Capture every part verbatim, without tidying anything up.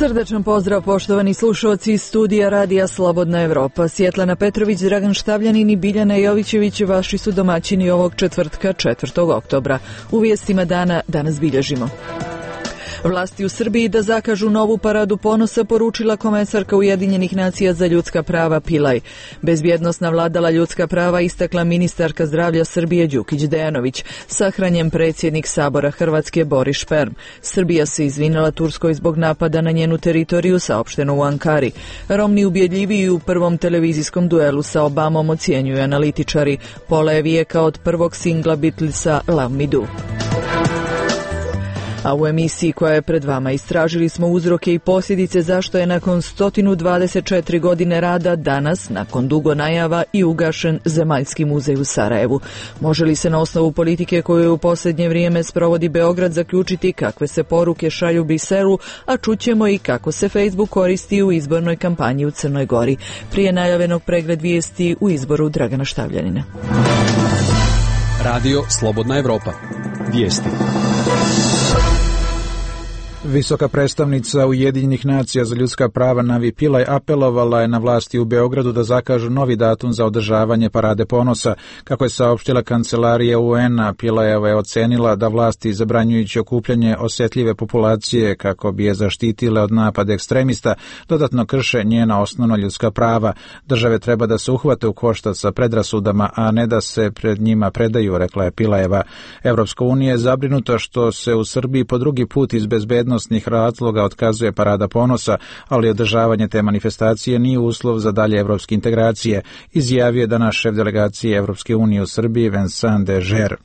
Srdačan pozdrav poštovani slušalci iz studija Radija Slobodna Evropa. Svjetlana Petrović, Dragan Štavljanin i Biljana Jovićević vaši su domaćini ovog četvrtka četvrtog oktobra. U vijestima dana danas bilježimo. Vlasti u Srbiji da zakažu novu paradu ponosa poručila komesarka Ujedinjenih nacija za ljudska prava Pilaj. Bezbjednosna vladala ljudska prava istakla ministarka zdravlja Srbije Đukić Dejanović, sahranjen predsjednik Sabora Hrvatske Boris Šperm. Srbija se izvinila Turskoj zbog napada na njenu teritoriju, saopšteno u Ankari. Romni ubjedljiviji u prvom televizijskom duelu sa Obamom, ocjenjuju analitičari. Pola je vijeka od prvog singla Beatlesa Love Me Do. A u emisiji koja je pred vama istražili smo uzroke i posljedice zašto je nakon sto dvadeset četiri godine rada danas, nakon dugo najava, i ugašen Zemaljski muzej u Sarajevu. Može li se na osnovu politike koju u posljednje vrijeme sprovodi Beograd zaključiti kakve se poruke šalju Briselu, a čućemo i kako se Facebook koristi u izbornoj kampanji u Crnoj Gori. Prije najavljenog pregled vijesti u izboru Dragana Štavljanina. Radio Slobodna Evropa. Vijesti. Visoka predstavnica Ujedinjenih nacija za ljudska prava Navi Pillay apelovala je na vlasti u Beogradu da zakažu novi datum za održavanje parade ponosa. Kako je saopštila kancelarija U N-a, Pillayeva je ocenila da vlasti zabranjujući okupljanje osjetljive populacije kako bi je zaštitile od napada ekstremista, dodatno krše njena osnovna ljudska prava. Države treba da se uhvate u koštac sa predrasudama, a ne da se pred njima predaju, rekla je Pillayeva. Evropska unija je zabrinuta što se u Srbiji po drugi put iz bezbednosti razloga otkazuje parada ponosa, ali održavanje te manifestacije nije uslov za dalje evropske integracije, izjavio je danas šef delegacije Evropske unije u Srbiji Vincent de Geer.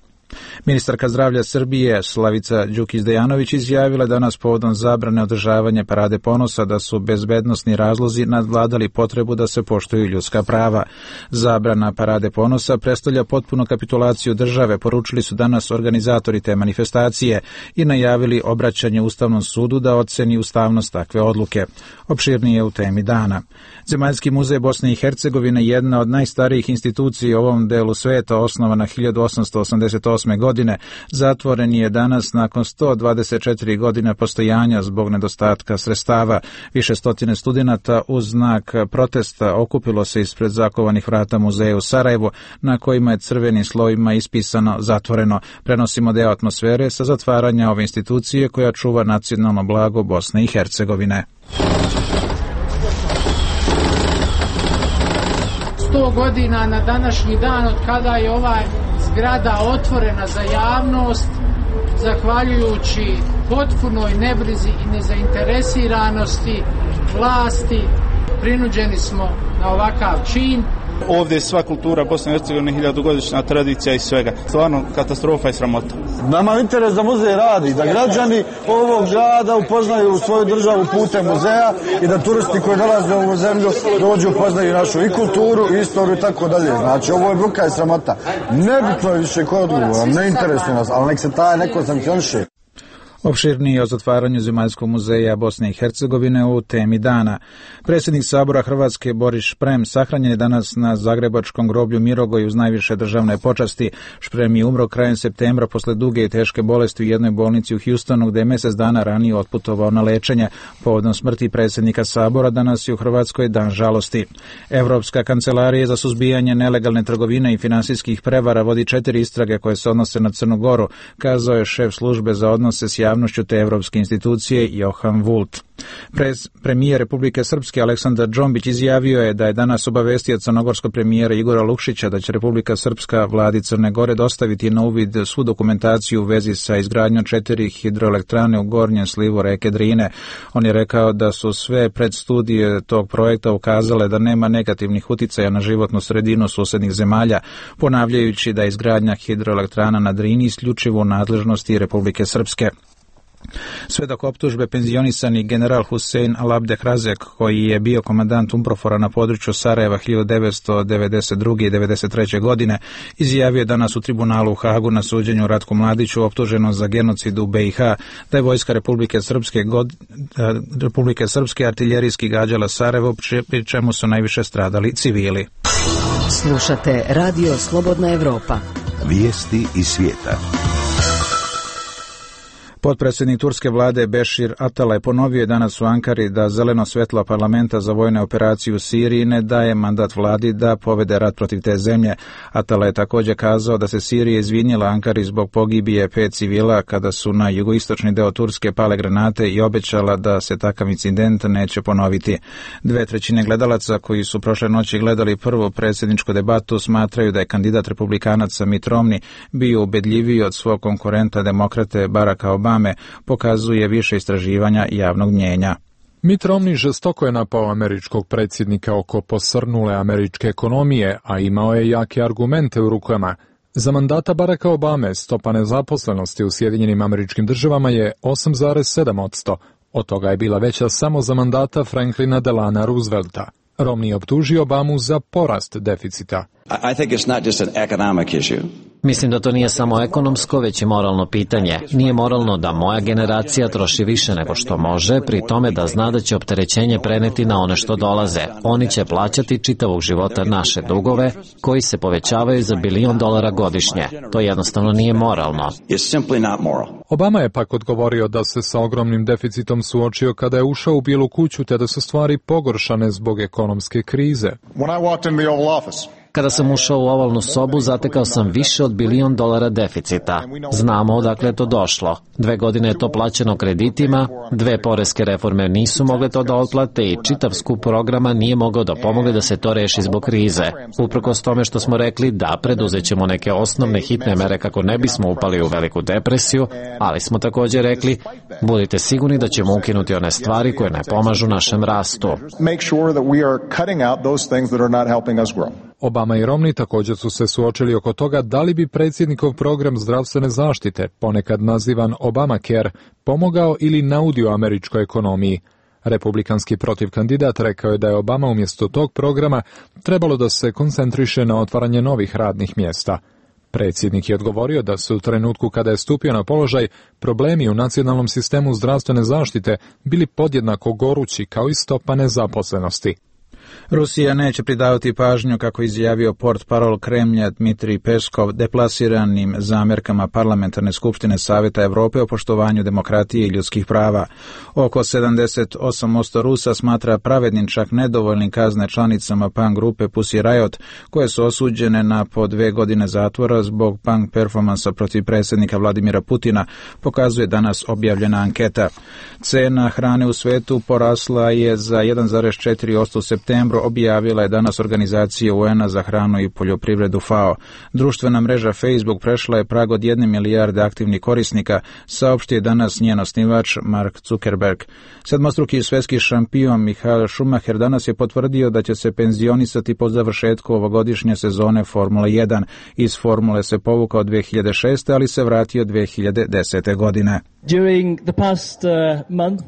Ministarka zdravlja Srbije Slavica Đukić Dejanović izjavila danas povodom zabrane održavanja parade ponosa da su bezbednosni razlozi nadvladali potrebu da se poštuju ljudska prava. Zabrana parade ponosa predstavlja potpunu kapitulaciju države, poručili su danas organizatori te manifestacije i najavili obraćanje Ustavnom sudu da oceni ustavnost takve odluke. Opširnije u temi dana. Zemaljski muzej Bosne i Hercegovine, jedna od najstarijih institucija u ovom delu sveta, osnovana hiljadu osamsto osamdeset osme godine, zatvoren je danas nakon sto dvadeset četiri godina postojanja zbog nedostatka sredstava. Više stotine studenata uz znak protesta okupilo se ispred zakovanih vrata muzeja u Sarajevu, na kojima je crvenim slovima ispisano zatvoreno. Prenosimo deo atmosfere sa zatvaranja ove institucije koja čuva nacionalno blago Bosne i Hercegovine. sto godina na današnji dan od kada je ova zgrada otvorena za javnost, zahvaljujući potpunoj nebrizi i nezainteresiranosti vlasti, prinuđeni smo na ovakav čin. Ovdje je sva kultura Bosne i Hercegovine, hiljadugodišnja tradicija i svega. Stvarno katastrofa i sramota. Nama je interes da muzej radi, da građani ovog grada upoznaju svoju državu putem muzeja i da turisti koji dolaze u ovu zemlju dođu upoznaju našu i kulturu, i istoriju i tako dalje. Znači, ovo je bruka i sramota. Nebitno je više ko je odgovoran, ne interesuje nas, ali nek se taj neko sankcioniše. Opširniji o zatvaranju Zemaljskog muzeja Bosne i Hercegovine u temi dana. Predsjednik Sabora Hrvatske Boris Šprem sahranjen je danas na zagrebačkom groblju Mirogoj uz najviše državne počasti. Šprem je umro krajem septembra posle duge i teške bolesti u jednoj bolnici u Houstonu, gde je mjesec dana ranije otputovao na lečenje. Povodom smrti predsjednika Sabora danas je u Hrvatskoj dan žalosti. Evropska kancelarija za suzbijanje nelegalne trgovine i finansijskih prevara vodi četiri istrage koje se odnose na Crnu Goru, kazao je šef službe za odnose s javnošću te evropske institucije Johan Vult. Prez, premijer Republike Srpske Aleksandar Džombić izjavio je da je danas obavestio crnogorskog premijera Igora Lukšića da će Republika Srpska vladi Crne Gore dostaviti na uvid svu dokumentaciju u vezi sa izgradnjom četiri hidroelektrane u gornjem slivu reke Drine. On je rekao da su sve predstudije tog projekta ukazale da nema negativnih uticaja na životnu sredinu susednih zemalja, ponavljajući da je izgradnja hidroelektrana na Drini isključivo u nadležnosti Republike Srpske. Sve dok optužbe penzionisani general Husein Alabdeh Razek, koji je bio komandant Umprofora na području Sarajeva hiljadu devetsto devedeset druge i devedeset treće godine, izjavio danas u tribunalu u Hagu na suđenju Ratku Mladiću, optuženom za genocid u B i H, da je vojska Republike Srpske, god, Republike Srpske artiljerijski gađala Sarajevo, pri čemu su najviše stradali civili. Slušate Radio Slobodna Evropa. Vijesti iz svijeta. Potpredsjednik turske vlade Bešir Atalay ponovio je danas u Ankari da zeleno svjetlo parlamenta za vojne operacije u Siriji ne daje mandat vladi da povede rat protiv te zemlje. Atalay je također kazao da se Sirija izvinjela Ankari zbog pogibije pet civila kada su na jugoistočni deo Turske pale granate i obećala da se takav incident neće ponoviti. Dve trećine gledalaca koji su prošle noći gledali prvu predsjedničku debatu smatraju da je kandidat republikanaca Mitt Romney bio ubedljiviji od svog konkurenta demokrate Baracka Obame, pokazuje više istraživanja javnog mnjenja. Mitt Romney žestoko je napao američkog predsjednika oko posrnule američke ekonomije, a imao je jake argumente u rukama. Za mandata Baracka Obame stopa nezaposlenosti u Sjedinjenim Američkim Državama je osam zarez sedam posto, od toga je bila veća samo za mandata Franklina Delana Roosevelta. Romney je optužio Obamu za porast deficita. I think it's not just an economic issue. Mislim da to nije samo ekonomsko, već i moralno pitanje. Nije moralno da moja generacija troši više nego što može, pri tome da zna da će opterećenje preneti na one što dolaze. Oni će plaćati čitavog života naše dugove, koji se povećavaju za bilion dolara godišnje. To jednostavno nije moralno. It's simply not moral. Obama je pak odgovorio da se sa ogromnim deficitom suočio kada je ušao u Bijelu kuću, te da su stvari pogoršane zbog ekonomske krize. When I walked in the Oval Office, Kada sam ušao u ovalnu sobu, zatekao sam više od bilion dolara deficita. Znamo odakle je to došlo. Dve godine je to plaćeno kreditima, dve poreske reforme nisu mogle to da otplate i čitav skup programa nije mogao da pomogne da se to reši zbog krize. Uprkos tome što smo rekli da preduzećemo neke osnovne hitne mere kako ne bismo upali u veliku depresiju, ali smo također rekli, budite sigurni da ćemo ukinuti one stvari koje ne pomažu našem rastu. Obama i Romney također su se suočili oko toga da li bi predsjednikov program zdravstvene zaštite, ponekad nazivan Obamacare, pomogao ili naudio američkoj ekonomiji. Republikanski protivkandidat rekao je da je Obama umjesto tog programa trebalo da se koncentriše na otvaranje novih radnih mjesta. Predsjednik je odgovorio da su u trenutku kada je stupio na položaj problemi u nacionalnom sistemu zdravstvene zaštite bili podjednako gorući kao i stopa nezaposlenosti. Rusija neće pridavati pažnju, kako izjavio portparol Kremlja Dmitrij Peskov, deplasiranim zamjerkama Parlamentarne skupštine Savjeta Europe o poštovanju demokratije i ljudskih prava. Oko sedamdeset osam posto Rusa smatra pravednim čak nedovoljnim kazne članicama punk grupe Pussy Riot, koje su osuđene na po dve godine zatvora zbog punk performansa protiv predsjednika Vladimira Putina, pokazuje danas objavljena anketa. Cena hrane u svetu porasla je za jedan zarez četiri posto u septembru, objavila je danas organizacija U N-a za hranu i poljoprivredu F A O. Društvena mreža Facebook prešla je prag od jedne milijarde aktivnih korisnika, saopštio je danas njen osnivač Mark Zuckerberg. Sedmostruki svjetski šampion Michael Schumacher danas je potvrdio da će se penzionisati po završetku ovogodišnje sezone Formule jedan. Iz Formule se povukao dvije hiljade šeste. ali se vratio dvije hiljade desete. godine.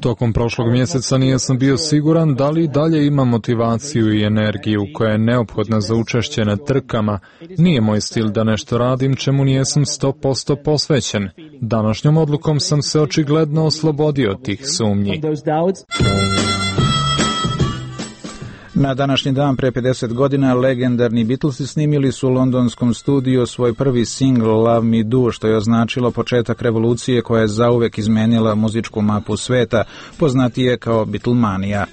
Tokom prošlog mjeseca nisam bio siguran da li dalje ima motivaciju i energiju koja je neophodna za učešće na trkama. Nije moj stil da nešto radim čemu nijesam sto posto posvećen. Današnjom odlukom sam se očigledno oslobodio tih sumnji. Na današnji dan pre pedeset godina legendarni Beatlesi snimili su u londonskom studiju svoj prvi singl Love Me Do, što je označilo početak revolucije koja je zauvek izmenila muzičku mapu sveta, poznatije kao Beatlemanija.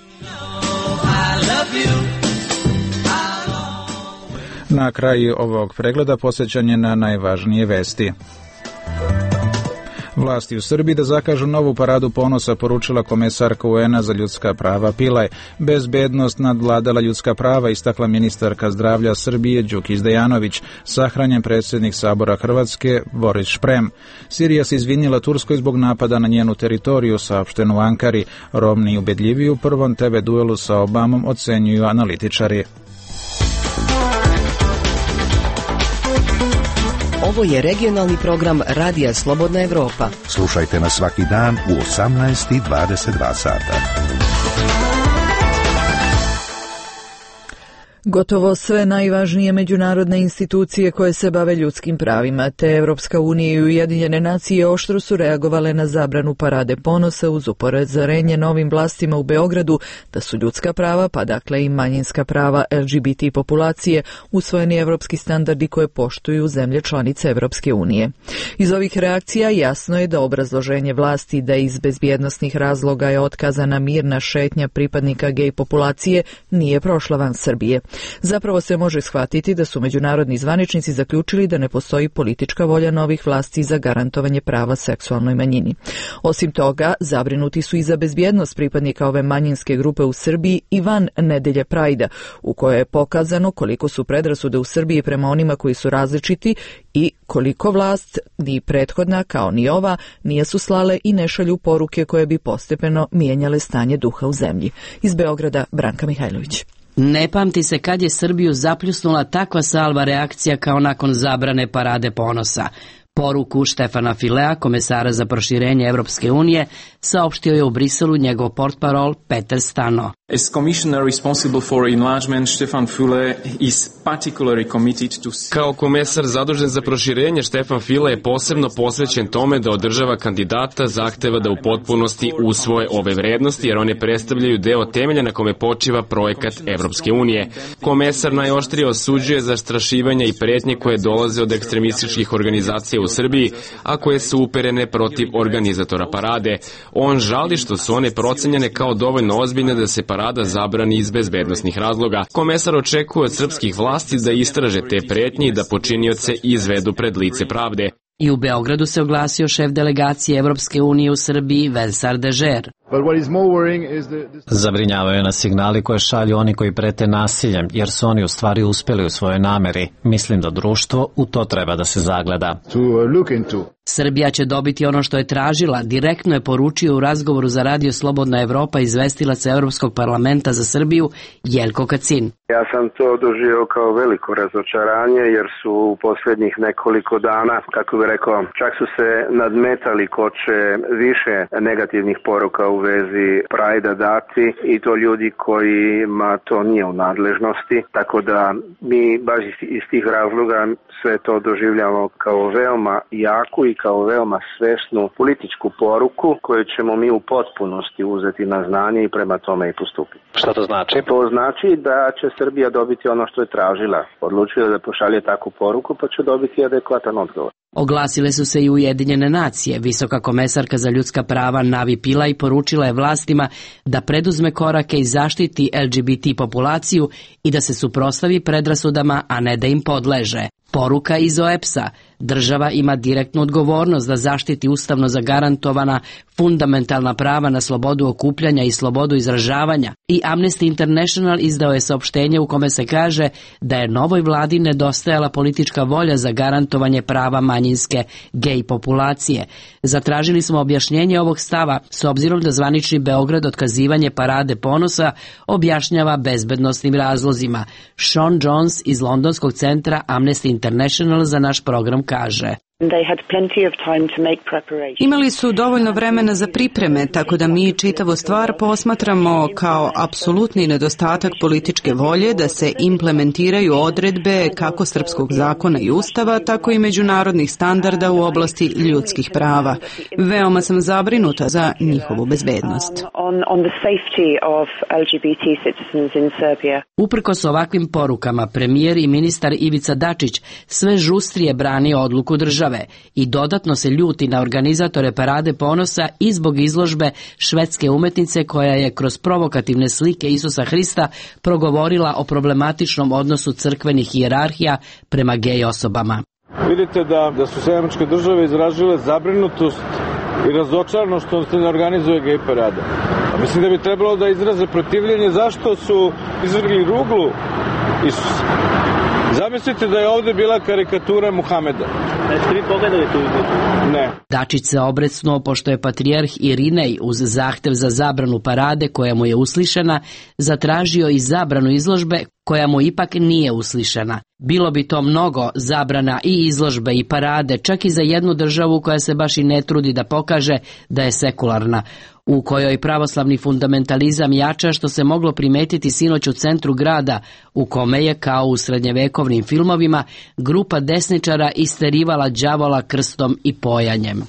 Na kraju ovog pregleda posjećanje na najvažnije vesti. Vlasti u Srbiji da zakažu novu paradu ponosa, poručila komesarka U N-a za ljudska prava Pilaj. Bezbednost nadvladala ljudska prava, istakla ministarka zdravlja Srbije Đukić Dejanović, sahranjen predsjednik Sabora Hrvatske Boris Šprem. Sirija se izvinila Turskoj zbog napada na njenu teritoriju, saopšteno u Ankari. Romney ubedljiviji u prvom te ve duelu sa Obamom, ocenjuju analitičari. Ovo je regionalni program Radija Slobodna Evropa. Slušajte nas svaki dan u osamnaest i dvadeset dva sata. Gotovo sve najvažnije međunarodne institucije koje se bave ljudskim pravima, te Evropska unija i Ujedinjene nacije oštro su reagovale na zabranu parade ponosa uz upozorenje novim vlastima u Beogradu da su ljudska prava, pa dakle i manjinska prava L G B T populacije, usvojeni evropski standardi koje poštuju zemlje članice Evropske unije. Iz ovih reakcija jasno je da obrazloženje vlasti da iz bezbjednosnih razloga je otkazana mirna šetnja pripadnika gej populacije nije prošla van Srbije. Zapravo se može shvatiti da su međunarodni zvaničnici zaključili da ne postoji politička volja novih vlasti za garantovanje prava seksualnoj manjini. Osim toga, zabrinuti su i za bezbjednost pripadnika ove manjinske grupe u Srbiji i van nedelje Prajda, u kojoj je pokazano koliko su predrasude u Srbiji prema onima koji su različiti i koliko vlast, ni prethodna kao ni ova, nije su slale i ne šalju poruke koje bi postepeno mijenjale stanje duha u zemlji. Iz Beograda, Branka Mihajlović. Ne pamti se kad je Srbiju zapljusnula takva salva reakcija kao nakon zabrane parade ponosa. Poruku Štefana Filea, komesara za proširenje Evropske unije, saopštio je u Briselu njegov portparol Peter Stano. As commissioner responsible for enlargement, Stefan Füle is particularly committed to... Kao komesar zadužen za proširenje, Stefan Füle je posebno posvećen tome da od država kandidata zahteva da u potpunosti usvoje ove vrednosti, jer one predstavljaju deo temelja na kome počiva projekat Evropske unije. Komesar najoštrije osuđuje zastrašivanja i pretnje koje dolaze od ekstremističkih organizacija u Srbiji, a koje su uperene protiv organizatora parade. On žali što su one procenjene kao dovoljno ozbiljne da se parada zabrani iz bezbednosnih razloga. Komesar očekuje od srpskih vlasti da istraže te pretnje i da počinioce izvedu pred lice pravde. I u Beogradu se oglasio šef delegacije Evropske unije u Srbiji Vincent Dežer. Zabrinjavaju nas signali koje šalju oni koji prete nasiljem, jer su oni u stvari uspeli u svojoj nameri. Mislim da društvo u to treba da se zagleda. Srbija će dobiti ono što je tražila, direktno je poručio u razgovoru za Radio Slobodna Evropa izvestilac Evropskog parlamenta za Srbiju Jelko Kacin. Ja sam to doživio kao veliko razočaranje jer su u posljednjih nekoliko dana, kako bih rekao, čak su se nadmetali ko će više negativnih poruka u vezi Prajda dati i to ljudi kojima to nije u nadležnosti, tako da mi baš iz tih razloga sve to doživljamo kao veoma jaku i kao veoma svesnu političku poruku koju ćemo mi u potpunosti uzeti na znanje i prema tome i postupiti. Šta to znači? To znači da će Srbija dobiti ono što je tražila. Odlučila da pošalje takvu poruku pa će dobiti adekvatan odgovor. Oglasile su se i Ujedinjene nacije. Visoka komesarka za ljudska prava Navi Pillay poručila je vlastima da preduzme korake i zaštiti L G B T populaciju i da se suprotstavi predrasudama, a ne da im podleže. Poruka iz O E P S-a. Država ima direktnu odgovornost da zaštiti ustavno zagarantovana fundamentalna prava na slobodu okupljanja i slobodu izražavanja. I Amnesty International izdao je saopštenje u kome se kaže da je novoj vladi nedostajala politička volja za garantovanje prava manjinske gej populacije. Zatražili smo objašnjenje ovog stava s obzirom da zvanični Beograd otkazivanje parade ponosa objašnjava bezbednosnim razlozima. Sean Jones iz londonskog centra Amnesty International za naš program kaže. Imali su dovoljno vremena za pripreme, tako da mi čitavu stvar posmatramo kao apsolutni nedostatak političke volje da se implementiraju odredbe kako srpskog zakona i ustava, tako i međunarodnih standarda u oblasti ljudskih prava. Veoma sam zabrinuta za njihovu bezbednost. Uprkos ovakvim porukama, premijer i ministar Ivica Dačić sve žustrije brani odluku države i dodatno se ljuti na organizatore parade ponosa i zbog izložbe švedske umetnice koja je kroz provokativne slike Isusa Hrista progovorila o problematičnom odnosu crkvenih hijerarhija prema gej osobama. Vidite da, da su Sjedinjene Američke Države izražile zabrinutost i razočarano što se ne organizuje gej parada. A mislim da bi trebalo da izraze protivljenje zašto su izvrgli ruglu Isusa. Zamislite da je ovdje bila karikatura Muhameda. Jeste vi pogledali tu izložbu? Ne. Dačić se obrecnuo pošto je patrijarh Irinej uz zahtev za zabranu parade koja mu je uslišena, zatražio i zabranu izložbe koja mu ipak nije uslišena. Bilo bi to mnogo zabrana i izložbe i parade, čak i za jednu državu koja se baš i ne trudi da pokaže da je sekularna, u kojoj pravoslavni fundamentalizam jača, što se moglo primetiti sinoć u centru grada, u kome je, kao u srednjevekovnim filmovima, grupa desničara isterivala đavola krstom i pojanjem.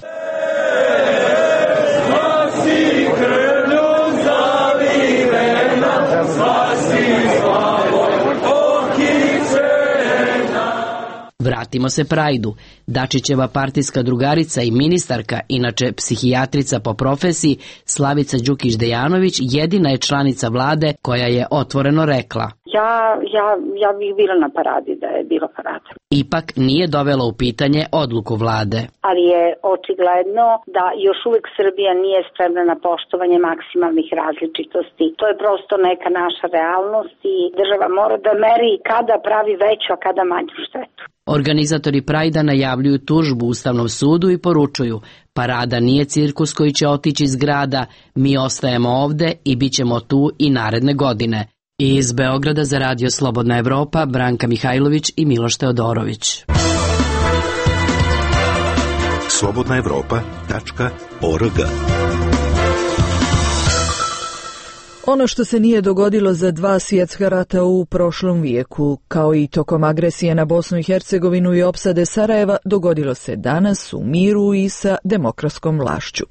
Vratimo se Prajdu. Dačićeva partijska drugarica i ministarka, inače psihijatrica po profesiji, Slavica Đukić-Dejanović, jedina je članica vlade koja je otvoreno rekla: Ja, ja, ja bih bila na paradi da je bila parada. Ipak nije dovela u pitanje odluku vlade. Ali je očigledno da još uvijek Srbija nije spremna na poštovanje maksimalnih različitosti. To je prosto neka naša realnost i država mora da meri kada pravi veću, a kada manju štetu. Organizatori Prajda najavljuju tužbu Ustavnom sudu i poručuju: parada nije cirkus koji će otići iz grada, mi ostajemo ovde i bit ćemo tu i naredne godine. Iz Beograda za Radio Slobodna Evropa, Branka Mihajlović i Miloš Teodorović. slobodna evropa tačka org. Ono što se nije dogodilo za dva svjetska rata u prošlom vijeku, kao i tokom agresije na Bosnu i Hercegovinu i opsade Sarajeva, dogodilo se danas u miru i sa demokratskom vlašću.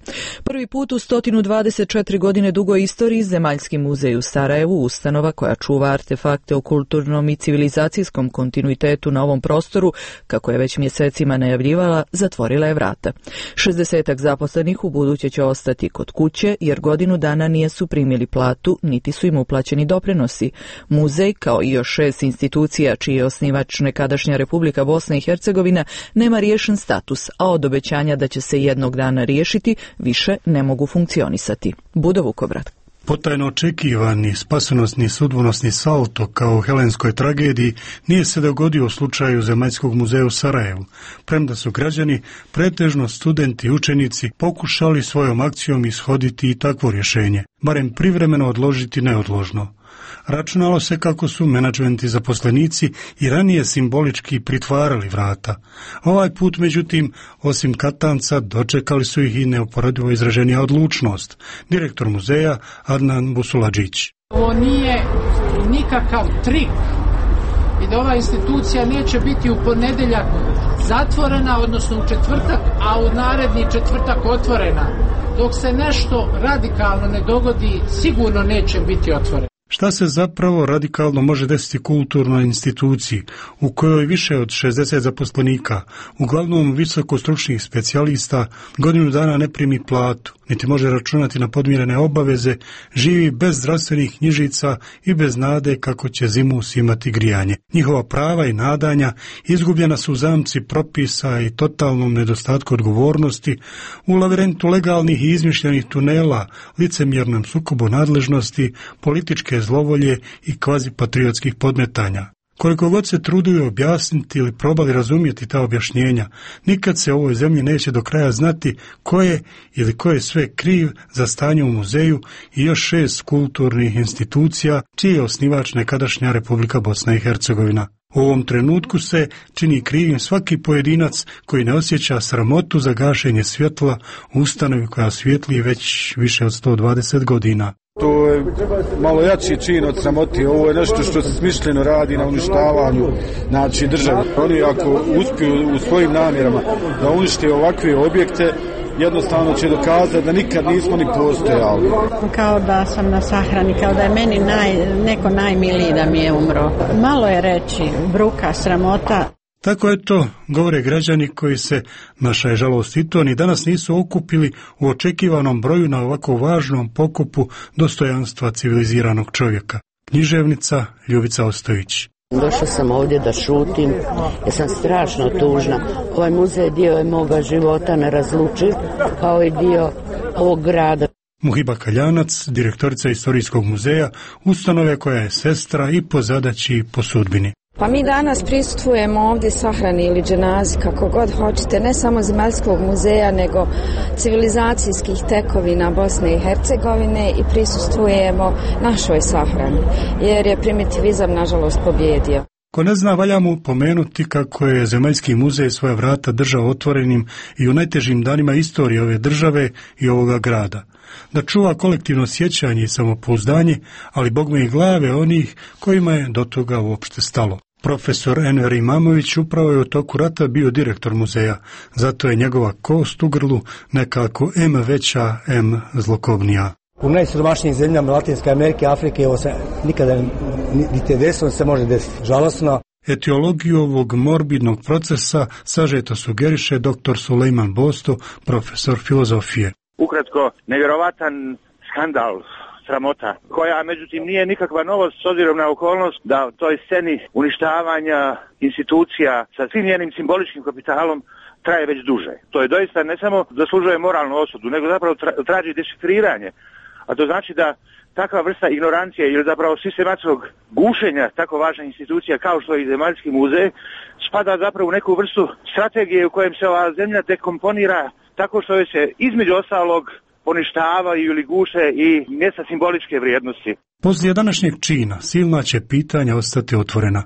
Prvi put u sto dvadeset četiri godine dugoj istoriji Zemaljski muzej u Sarajevu, ustanova koja čuva artefakte o kulturnom i civilizacijskom kontinuitetu na ovom prostoru, kako je već mjesecima najavljivala, zatvorila je vrata. šezdesetak zaposlenih u buduće će ostati kod kuće, jer godinu dana nisu primili platu, niti su im uplaćeni doprinosi. Muzej, kao i još šest institucija čiji je osnivač nekadašnja Republika Bosna i Hercegovina, nema riješen status, a od obećanja da će se jednog dana riješiti više ne mogu funkcionisati. Budo Vukobrad. Potajno očekivani spasonosni sudbonosni salto kao u helenskoj tragediji nije se dogodio u slučaju Zemaljskog muzeja u Sarajevu, premda su građani, pretežno studenti i učenici, pokušali svojom akcijom ishoditi i takvo rješenje, barem privremeno odložiti neodložno. Računalo se kako su menadžmenti zaposlenici i ranije simbolički pritvarali vrata. Ovaj put, međutim, osim katanca, dočekali su ih i neuporedivo izraženija odlučnost. Direktor muzeja Adnan Busuladžić. Ovo nije nikakav trik i da ova institucija neće biti u ponedjeljak zatvorena, odnosno u četvrtak, a u naredni četvrtak otvorena. Dok se nešto radikalno ne dogodi, sigurno neće biti otvorena. Šta se zapravo radikalno može desiti kulturnoj instituciji u kojoj više od šezdeset zaposlenika, uglavnom visokostručnih specijalista, godinu dana ne primi platu, niti može računati na podmirene obaveze, živi bez zdravstvenih knjižica i bez nade kako će zimus imati grijanje. Njihova prava i nadanja izgubljena su u zamci propisa i totalnom nedostatku odgovornosti, u lavirentu legalnih i izmišljenih tunela, licemjernom sukobu nadležnosti, političke zlovolje i kvazipatriotskih podmetanja. Koliko god se truduju objasniti ili probali razumjeti ta objašnjenja, nikad se u ovoj zemlji neće do kraja znati ko je ili ko je sve kriv za stanje u muzeju i još šest kulturnih institucija čiji je osnivač nekadašnja Republika Bosna i Hercegovina. U ovom trenutku se čini krivim svaki pojedinac koji ne osjeća sramotu za gašenje svjetla u ustanovi koja svijetli već više od sto dvadeset godina. To je malo jači čin od sramoti. Ovo je nešto što se smišljeno radi na uništavanju, znači, države. Oni ako uspiju u svojim namjerama da unište ovakve objekte, jednostavno će dokazati da nikad nismo ni postojali. Kao da sam na sahrani, kao da je meni naj, neko najmiliji da mi je umro. Malo je reći, bruka, sramota. Tako je to, govore građani koji se, naša je žalost i to, ni danas nisu okupili u očekivanom broju na ovako važnom pokupu dostojanstva civiliziranog čovjeka. Književnica Ljubica Ostojić. Došla sam ovdje da šutim, jer sam strašno tužna. Ovaj muzej dio je moga života nerazlučiv, kao i dio ovog grada. Muhiba Kaljanac, direktorica Istorijskog muzeja, ustanove koja je sestra i po zadaći i po sudbini. Pa mi danas prisustvujemo ovdje sahrani ili dženazi, kako god hoćete, ne samo Zemaljskog muzeja, nego civilizacijskih tekovina Bosne i Hercegovine i prisustvujemo našoj sahrani, jer je primitivizam nažalost pobjedio. Ko ne zna, valja mu pomenuti kako je Zemaljski muzej svoja vrata držao otvorenim i u najtežim danima istorije ove države i ovoga grada. Da čuva kolektivno sjećanje i samopouzdanje, ali bogme i glave onih kojima je do toga uopšte stalo. Profesor Enver Imamović upravo je u toku rata bio direktor muzeja, zato je njegova kost u grlu nekako em veća, em zlokobnija. U najsiromašnijim zemljama Latinske Amerike, Afrike, ovo se nikada niti desilo, se može desiti. Žalosno. Etiologiju ovog morbidnog procesa sažeto sugeriše doktor Sulejman Bosto, profesor filozofije. Ukratko, nevjerovatan skandal, sramota, koja međutim nije nikakva novost s obzirom na okolnost da u toj sceni uništavanja institucija sa svim njenim simboličkim kapitalom traje već duže. To je doista ne samo zaslužuje moralnu osudu, nego zapravo tra- traži dešifriranje. A to znači da takva vrsta ignorancije ili zapravo sistematskog gušenja tako važnih institucija kao što je i Zemaljski muzej spada zapravo u neku vrstu strategije u kojem se ova zemlja dekomponira tako što se između ostalog poništavaju ili guše i mjesta simboličke vrijednosti. Poslije današnjeg čina silna će pitanja ostati otvorena.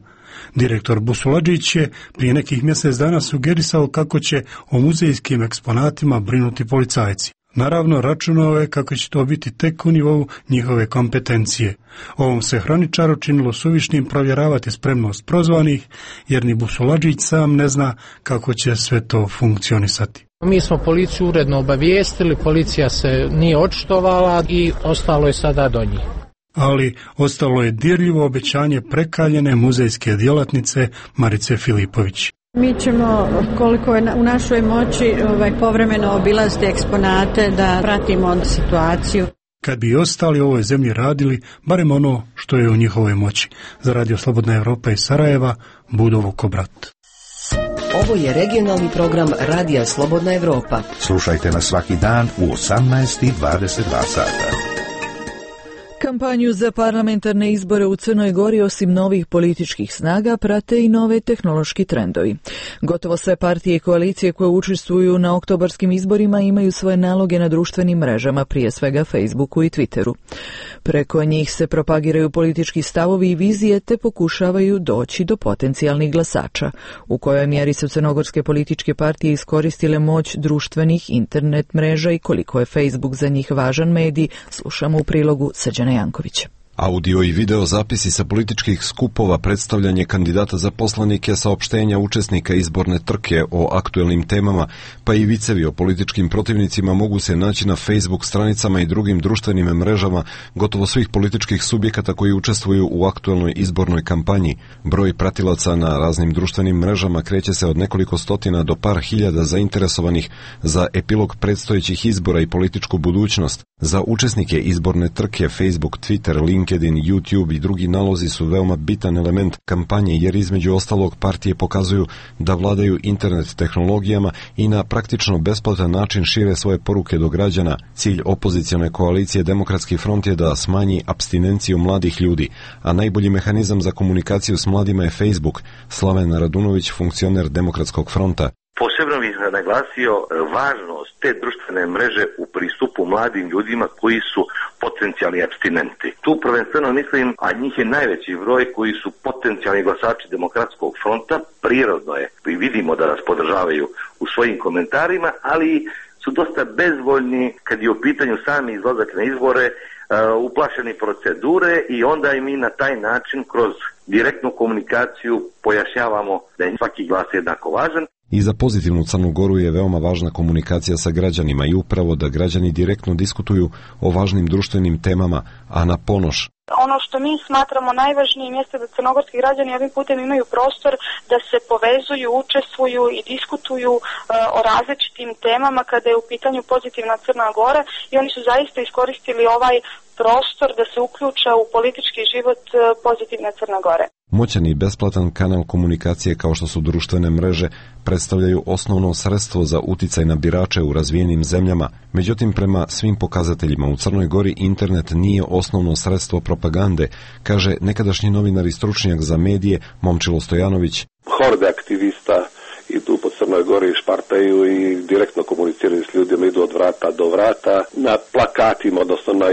Direktor Busuladžić je prije nekih mjesec dana sugerisao kako će o muzejskim eksponatima brinuti policajci. Naravno, računao je kako će to biti tek u nivou njihove kompetencije. Ovom se hraničaru činilo suvišnim provjeravati spremnost prozvanih, jer ni Busuladžić sam ne zna kako će sve to funkcionisati. Mi smo policiju uredno obavijestili, policija se nije očitovala i ostalo je sada do njih. Ali ostalo je dirljivo obećanje prekaljene muzejske djelatnice Marice Filipović. Mi ćemo, koliko je u našoj moći, ovaj, povremeno obilaziti eksponate da pratimo situaciju. Kad bi ostali u ovoj zemlji radili, barem ono što je u njihovoj moći. Za Radio Slobodna Evropa iz Sarajeva, Budo Vukobrat. Ovo je regionalni program Radija Slobodna Evropa. Slušajte nas svaki dan u osamnaest i dvadeset dva sata. Kampanju za parlamentarne izbore u Crnoj Gori osim novih političkih snaga prate i nove tehnološki trendovi. Gotovo sve partije i koalicije koje učestvuju na oktobarskim izborima imaju svoje naloge na društvenim mrežama, prije svega Facebooku i Twitteru. Preko njih se propagiraju politički stavovi i vizije te pokušavaju doći do potencijalnih glasača. U kojoj mjeri su crnogorske političke partije iskoristile moć društvenih internet mreža i koliko je Facebook za njih važan medij, slušamo u prilogu Srđana Jankovića. Audio i video zapisi sa političkih skupova, predstavljanje kandidata za poslanike, saopštenja učesnika izborne trke o aktuelnim temama, pa i vicevi o političkim protivnicima mogu se naći na Facebook stranicama i drugim društvenim mrežama gotovo svih političkih subjekata koji učestvuju u aktuelnoj izbornoj kampanji. Broj pratilaca na raznim društvenim mrežama kreće se od nekoliko stotina do par hiljada zainteresovanih za epilog predstojećih izbora i političku budućnost. Za učesnike izborne trke Facebook, Twitter, LinkedIn, YouTube i drugi nalozi su veoma bitan element kampanje jer između ostalog partije pokazuju da vladaju internet tehnologijama i na praktično besplatan način šire svoje poruke do građana. Cilj opozicione koalicije Demokratski front je da smanji apstinenciju mladih ljudi, a najbolji mehanizam za komunikaciju s mladima je Facebook. Slaven Radunović, funkcioner Demokratskog fronta. Posebno bih naglasio važnost te društvene mreže u pristupu mladim ljudima koji su potencijalni apstinenti. Tu prvenstveno mislim, a njih je najveći broj koji su potencijalni glasači Demokratskog fronta, prirodno je i vidimo da nas podržavaju u svojim komentarima, ali su dosta bezvoljni kad je u pitanju sami izlazak na izbore, uh, uplašeni procedure i onda i mi na taj način kroz direktnu komunikaciju pojašnjavamo da je svaki glas jednako važan. I za pozitivnu Crnu Goru je veoma važna komunikacija sa građanima i upravo da građani direktno diskutuju o važnim društvenim temama, a na ponoš. Ono što mi smatramo najvažnijim jeste da crnogorski građani ovim putem imaju prostor da se povezuju, učestvuju i diskutuju uh, o različitim temama kada je u pitanju pozitivna Crna Gora i oni su zaista iskoristili ovaj prostor da se uključa u politički život pozitivne Crne Gore. Moćan i besplatan kanal komunikacije kao što su društvene mreže predstavljaju osnovno sredstvo za uticaj na birače u razvijenim zemljama. Međutim, prema svim pokazateljima u Crnoj Gori internet nije osnovno sredstvo propagande, kaže nekadašnji novinar i stručnjak za medije Momčilo Stojanović. Horde aktivista idu po Crnoj Gori, špartaju i direktno komuniciraju s ljudima, idu od vrata do vrata. Na plakatima, odnosno na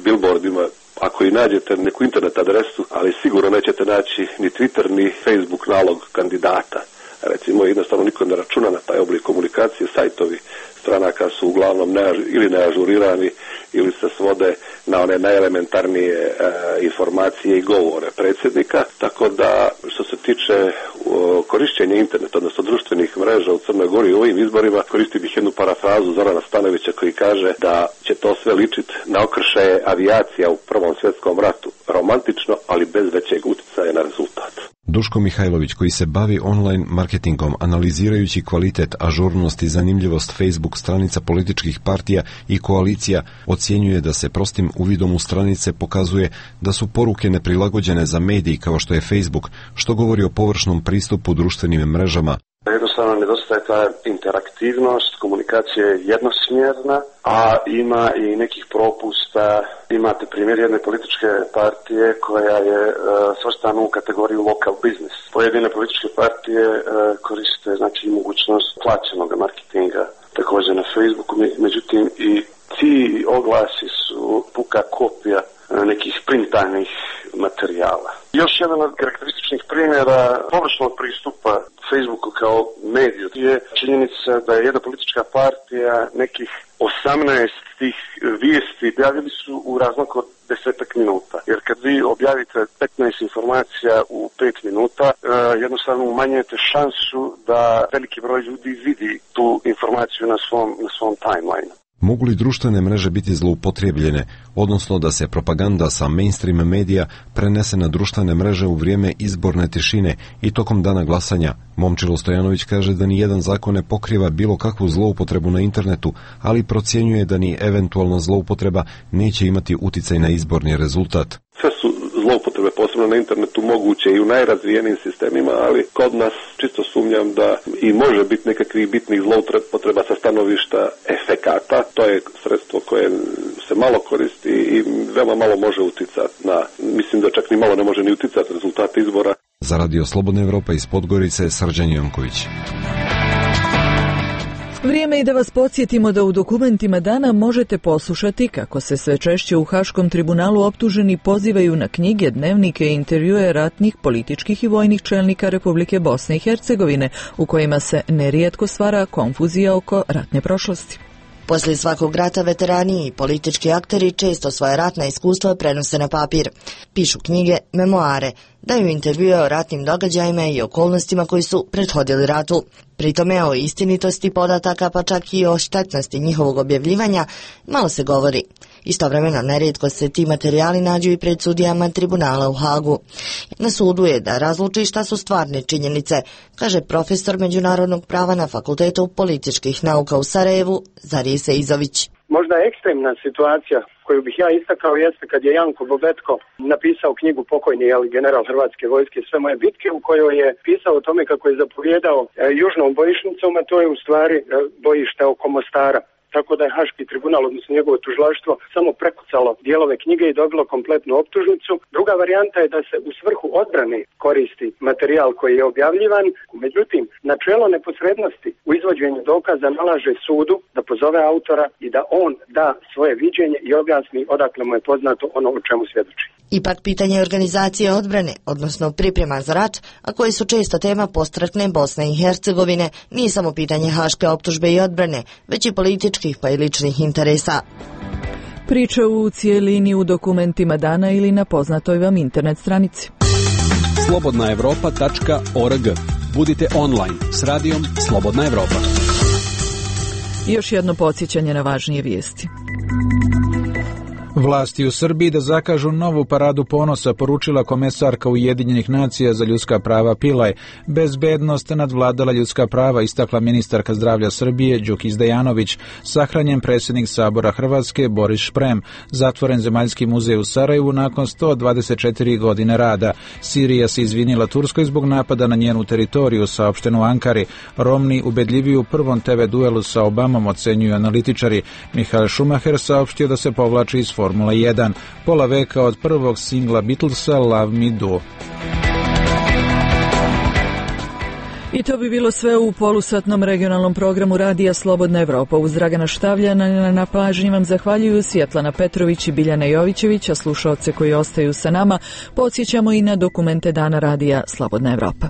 billboardima, ako i nađete neku internet adresu, ali sigurno nećete naći ni Twitter, ni Facebook nalog kandidata. Recimo, jednostavno niko ne računa na taj oblik komunikacije, sajtovi stranaka su uglavnom ne, ili neažurirani ili se svode na one najelementarnije e, informacije i govore predsjednika, tako da što se tiče o, korišćenja interneta, odnosno društvenih mreža u Crnoj Gori u ovim izborima, koristim bih jednu parafrazu Zorana Stanovića koji kaže da će to sve ličiti na okršaje avijacija u Prvom svjetskom ratu. Romantično, ali bez većeg utjecaja na rezultat. Duško Mihajlović, koji se bavi online marketingom, analizirajući kvalitet, ažurnost i zanimljivost Facebook stranica političkih partija i koalicija, ocjenjuje da se prostim uvidom u stranice pokazuje da su poruke neprilagođene za mediji kao što je Facebook, što govori o površnom pristupu društvenim mrežama. Jednostavno nedostaje ta interaktivnost, komunikacija je jednosmjerna, a ima i nekih propusta. Imate primjer jedne političke partije koja je uh, svrstana u kategoriju local business. Pojedine političke partije uh, koriste znači mogućnost plaćenog marketinga također na Facebooku, međutim i ti oglasi su puka kopija nekih printanih materijala. Još jedan od karakterističnih primjera površnog pristupa Facebooku kao mediju je činjenica da je jedna politička partija nekih osamnaest tih vijesti objavili su u razmaku od desetak minuta. Jer kad vi objavite petnaest informacija u pet minuta, jednostavno umanjujete šansu da veliki broj ljudi vidi tu informaciju na svom, na svom timeline. Mogu li društvene mreže biti zloupotrijebljene, odnosno da se propaganda sa mainstream medija prenese na društvene mreže u vrijeme izborne tišine i tokom dana glasanja? Momčilo Stojanović kaže da ni jedan zakon ne pokriva bilo kakvu zloupotrebu na internetu, ali procjenjuje da ni eventualna zloupotreba neće imati uticaj na izborni rezultat. Sve su zloupotrebe, posebno na internetu, moguće i u najrazvijenijim sistemima, ali kod nas čisto sumnjam da i može biti nekakvih bitnih zloupotreba sa stanovišta efekata. To je sredstvo koje se malo koristi i veoma malo može uticati na, mislim da čak ni malo ne može ni uticati rezultate izbora. Za Radio Slobodna Evropa iz Podgorice, Srđan Jonković. Vrijeme je da vas podsjetimo da u dokumentima dana možete poslušati kako se sve češće u Haškom tribunalu optuženi pozivaju na knjige, dnevnike i intervjue ratnih, političkih i vojnih čelnika Republike Bosne i Hercegovine, u kojima se nerijetko stvara konfuzija oko ratne prošlosti. Poslije svakog rata veterani i politički akteri često svoje ratna iskustva prenose na papir. Pišu knjige, memoare, daju intervjue o ratnim događajima i okolnostima koji su prethodili ratu. Pritome o istinitosti podataka, pa čak i o štetnosti njihovog objavljivanja, malo se govori. Istovremeno, nerijetko se ti materijali nađu i pred sudijama tribunala u Hagu. Na sudu je da razluči šta su stvarne činjenice, kaže profesor međunarodnog prava na Fakultetu političkih nauka u Sarajevu, Zarije Seizović. Možda ekstremna situacija koju bih ja istakao jeste kad je Janko Bobetko napisao knjigu pokojni jeli, general Hrvatske vojske Sve moje bitke, u kojoj je pisao o tome kako je zapovjedao e, južnom bojišnicom, a to je u stvari e, bojište oko Mostara. Tako da je Haški tribunal, odnosno njegovo tužilaštvo, samo prekucalo dijelove knjige i dobilo kompletnu optužnicu. Druga varijanta je da se u svrhu odbrane koristi materijal koji je objavljivan. Međutim, načelo neposrednosti u izvođenju dokaza nalaže sudu da pozove autora i da on da svoje viđenje i objasni odakle mu je poznato ono o čemu svjedoči. Ipak pitanje organizacije odbrane, odnosno priprema za rat, a koji su često tema postratne Bosne i Hercegovine, nije samo pitanje haške optužbe i odbrane, već i političkih pa i ličnih interesa. Priča u cijelini u dokumentima dana ili na poznatoj vam internet stranici. slobodna evropa tačka org. Budite online s radijom Slobodna Evropa. Još jedno podsjećanje na važnije vijesti. Vlasti u Srbiji da zakažu novu paradu ponosa, poručila komesarka Ujedinjenih nacija za ljudska prava Pilaj. Bezbednost nadvladala ljudska prava, istakla ministarka zdravlja Srbije Đukić Dejanović. Sahranjen predsjednik Sabora Hrvatske Boris Šprem. Zatvoren Zemaljski muzej u Sarajevu nakon sto dvadeset četiri godine rada. Sirija se izvinila Turskoj zbog napada na njenu teritoriju, saopšteno u Ankari. Romni ubedljiviju u prvom te ve duelu sa Obamom, ocenjuju analitičari. Michael Schumacher saopštio da se povlači iz Formula jedan, pola veka od prvog singla Beatlesa Love Me Do. I to bi bilo sve u polusatnom regionalnom programu Radija Slobodna Evropa. Uz Dragana Štavljana na pažnji vam zahvaljuju Svjetlana Petrović i Biljana Jovićević, a slušaoce koji ostaju sa nama podsjećamo i na dokumente Dana Radija Slobodna Evropa.